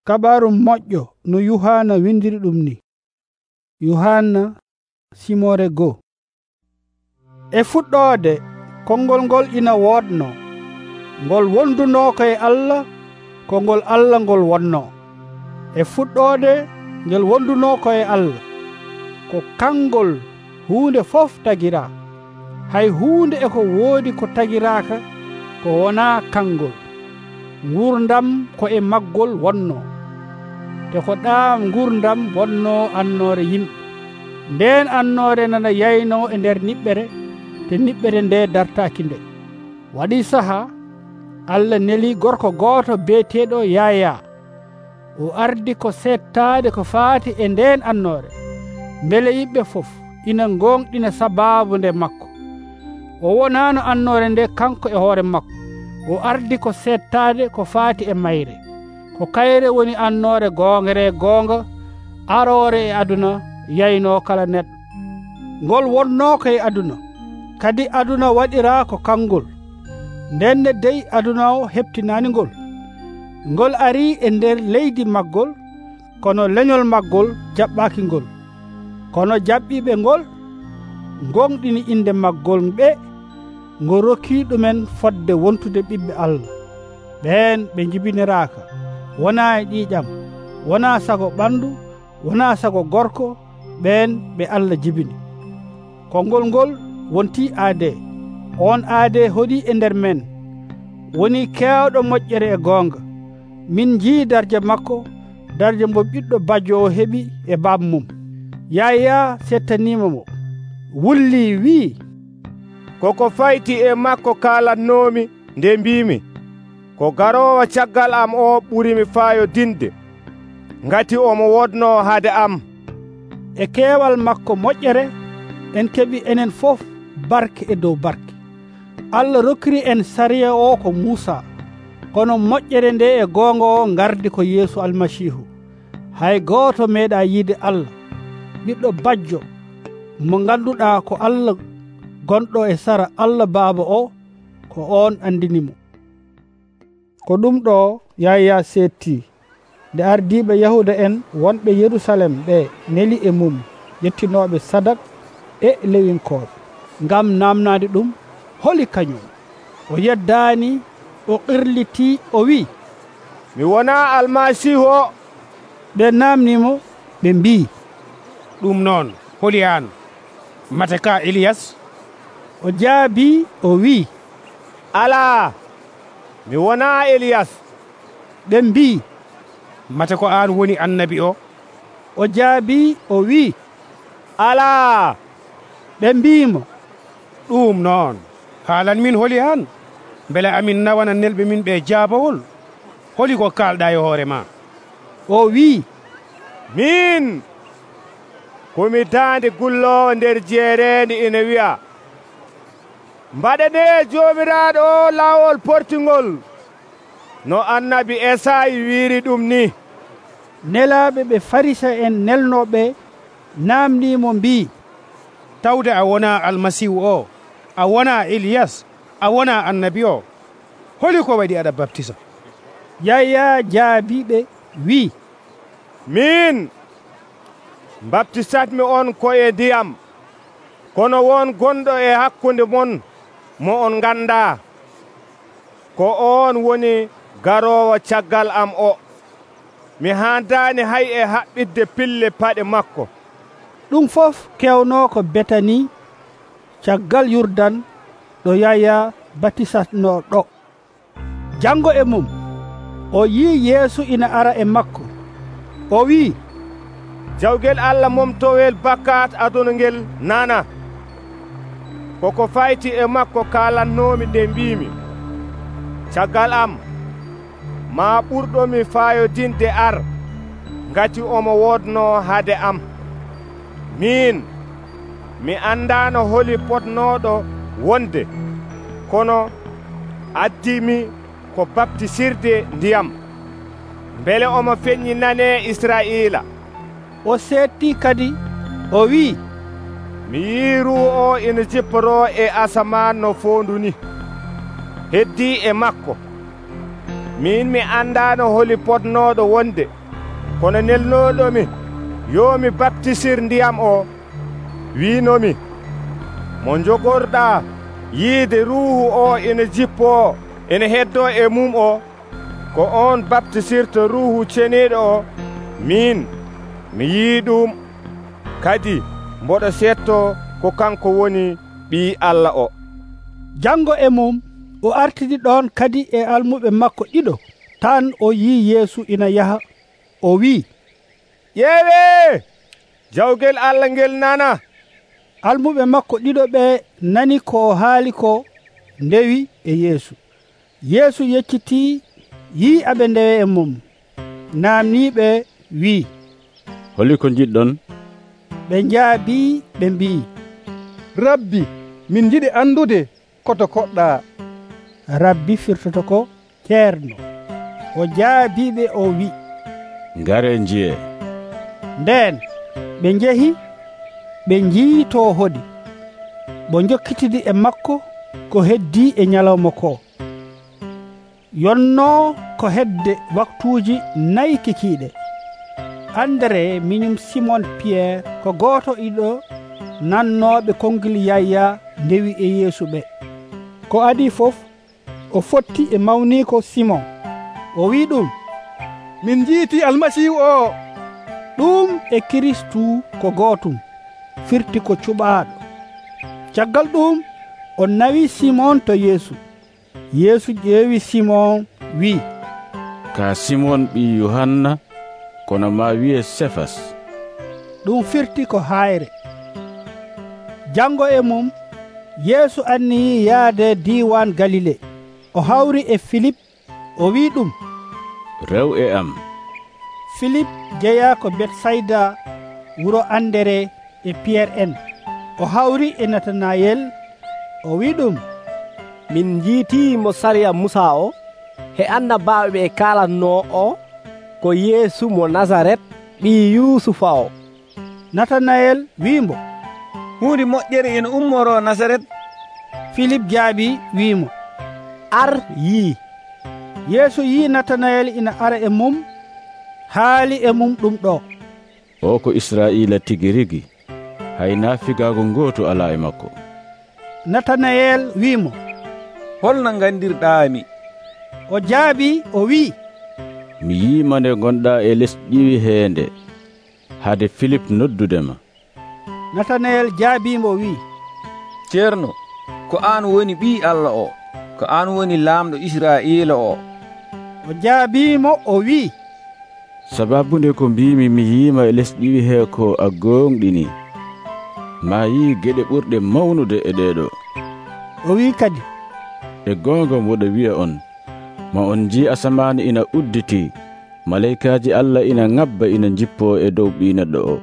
Kabaru moƴƴo no Yuhanna windiri ɗum ni. Yuhanna simore goo. E fuɗɗoode konngol ngol ina woodno, ngol wondunoo koye Allah, konngol Allah ngol wonnoo. E fuɗɗoode ngel wondunoo koye Allah, ko kangol huunde fof tagiraa. Hay huunde e ko woodi ko tagiraaka ko wonaa kangol. Ngurdam ko e maggol wonnoo, te ko ɗaam ngurdam wonnoo annoore yimɓe. Ndeen annoore nana yaynoo e nder niɓɓere, te niɓɓere nde dartaaki nde. Waɗii sahaa Allah nelii gorko gooto beeteeɗo Yaya. O ardi ko seettaade ko faati e ndeen annoore, mbele yimɓe fof ina gonɗina sabaabu nde makko. O wonaano annoore nde kanko e hoore makko. O ardi ko seettaade ko faati e mayre. Ko kayre woni annoore goongere goonga, aroore e aduna, yaynoo kala neɗɗo. Ngol wonnoo koye aduna, kadi aduna waɗiraa ko kangol. Ndenne dey aduna o heɓtinaani ngol. Ngol arii e nder leydi maggol, kono leñol maggol jaɓɓaaki ngol. Kono jaɓɓiiɓe ngol gonɗini inde maggol ɓe, ngo rokkii ɗumen fodde wontude ɓiɓɓe Allah. Ɓeen ɓe jibiniraaka, wonaa e ƴiiƴam, wonaa sago ɓandu, wonaa sago gorko, ɓeen ɓe Allah jibini. Konngol ngol wontii aadee. On aadee hoɗii e nder men, woni keewɗo moƴƴere e goonga. Min njii darje makko, darje mbo ɓiɗɗo bajjo o heɓi e baaba mum. Yaya settaniima mo, wullii wi'i, koko fayti e makko kaalatnoomi nde mbiimi, ko garoowo caggal am o ɓurimi faayodinde, ngati omo wodnoo hade am. E keewal makko moƴƴere en keɓi enen fof barke e dow barke. Allah rokkiri en sariya o ko Muusa, kono moƴƴere nde e goonga o ngardi ko Yeesu Almasiihu. Hay gooto meeɗa yiide Allah, ɓiɗɗo bajjo mo ngannduɗaa ko Allah gonɗo e sara Allah Baaba o, ko on andinimo. Ko ɗum ɗo Yaya seetti, nde ardiiɓe Yahuda en wonɓe Yerusalem ɓe neli e mum ƴettinooɓe sadak e lewinkooɓe, ngam namnaade ɗum holi kañum. O yeddaani, o qirlitii, o wi'i, mi wonaa Almasiihu o. ɓe naamnimo, ɓe mbii, ɗum noon holi an, mate ka Eliyas? O jaabii, o wi'i, alaa, mi wonaa Eliyas. ɓe mbii, mate ko an woni annabi o? O jaabii, o wi'i, alaa. ɓe mbiimo, ɗum noon haalan min holi an, beele amin nawana nelɓe min ɓe jaabawol. Holi ko kalɗa e hoore ma? O wi'i, min komi daande gulloowo nder jeereende ina wi'a, mbaɗane joomiraaɗo o laawol portingol, no annabi Esayi wiiri ɗum ni. Nelaaɓe ɓe Farisa en nelnooɓe naamniimo mbii, tawde a wonaa Almasihu o, a wonaa Eliyas, a wonaa annabi o, holi ko waɗi aɗa baptisa? Yaya jaabiɓe wi'i, min baptisatmi on koye ndiyam, kono won gonɗo e hakkunde mon mo on nganndaa, ko on woni garoowo caggal am o. Mi haandaani hay e haɓɓidde pille paɗe makko. ɗum fof kewnoo ko Betani, caggal Yurdan, ɗo Yaya batisatnoo ɗo. Janngo e mum o yii Yeesu ina ara e makko. O wi'i, jawgel Allah momtowel bakkat aduna ngel nana. Koko fayti e makko kaalatnoomi nde mbiimi, caggal am ma ɓurɗomi faayodinde ar, ngati omo wodnoo hade am. Min mi anndaano holi potnooɗo wonde, kono addimi ko baptisirde ndiyam, mbele omo feññinanee Israa'iila. O seetti kadi, o wi'i, mi yii Ruuhu o ina jipporoo e asaman no foondu ni, heddii e makko. min mi andano holi potnoɗo wonde, kono nelnoɗomi yo mi baptisir ndiyam o wiinomi, mo jogorɗa yiide ruuhu o ina jippoo ene heddo e mum o, ko on baptisirta ruuhu ceniiɗo o. Min mi yii ɗum, kadi mboɗo setto ko kanko woni Ɓii Allah o. Jango e mum o artidi ɗon kadi e almuɓe makko ɗiɗo tan o yii Yeesu ina yaha, o wi'i, ƴeewe, jawgel Allah ngel nana. Almuɓe makko ɗiɗo ɓe nani ko haali ko, ndewi e Yeesu. Yeesu yecciti yii aɓe ndewe e mum, namniɓe wi'i, holi ko jiɗɗon? ɓe njaabi ɓe mbi'i, Rabbi, min jiɗi andude koto koɗɗa. Rabbi firtoto ko ceerno. O jaabiɓe o wi'i, ngare njiye. Nden ɓe njehi ɓe njii to hoɗi, bo jokkitidi e makko ko heddi e ñalawma ko. Yonnoo ko hedde waktuuji 4 kikiiɗe. Andre miñum Simon Pierre ko gooto iɗo nannooɓe konngil Yaya ndewi e Yeesu ɓe. Ko adi fof o fotti e mawniiko Simon. O wi'i ɗum, Min jiiti Almasihu o. ɗum e Kiristu ko gootum, firti ko cuɓaaɗo. Caggal ɗum o nawi Simon to Yeesu. Yeesu ƴeewi Simon wi'i, Ka Simon ɓii Yohanna, kono ma wiye Sefas. ɗum firti ko hayre. Jango e mum Yeesu anniyi yaade diwan Galile. O hawri e Filip, o wi'i ɗum, Rew e am. Filip jeya ko Betsayda, wuro Andere e Pierre en. O hawri e Natanayel, o wi'i ɗum, min jiiti mo sariya Musa o he annabaaɓe ɓe kaalatno o ko Yeesu mo Nasaret, ɓii Yusufa o. Natanayel wi'imo, huunde moƴƴere ina ummoro Nasaret. Filip jaabi wi'imo, Ar yii. Yeesu yii Natanayel ina ara e mum, haali e mum ɗum ɗo, O ko Israa'iila tigi rigi, hay naafigaago gooto alaa e makko. Natanayel wi'imo, holno gandirɗaami? o jaabi o wi'i, mi yiima nde gonɗaa e les ƴiwi heende, hade Filip noddudema. Natanayel jaabimo wi'i, ceerno, ko aan woni Ɓii Allah o, ko aan woni laamɗo Israa'iila o. o jaabimo o wi'i, Sababunde ko mbimi mi yiima e les ƴiwi hee ko a gonɗini, ma yii geɗe ɓurɗe mawnude e ɗeɗo. o wi'i kadi, E goonga mboɗo wi'a on, ma on jii asamaani ina udditi, malaykaaji Allah ina ŋabba ina jippoo e dow Ɓii Neɗɗo o.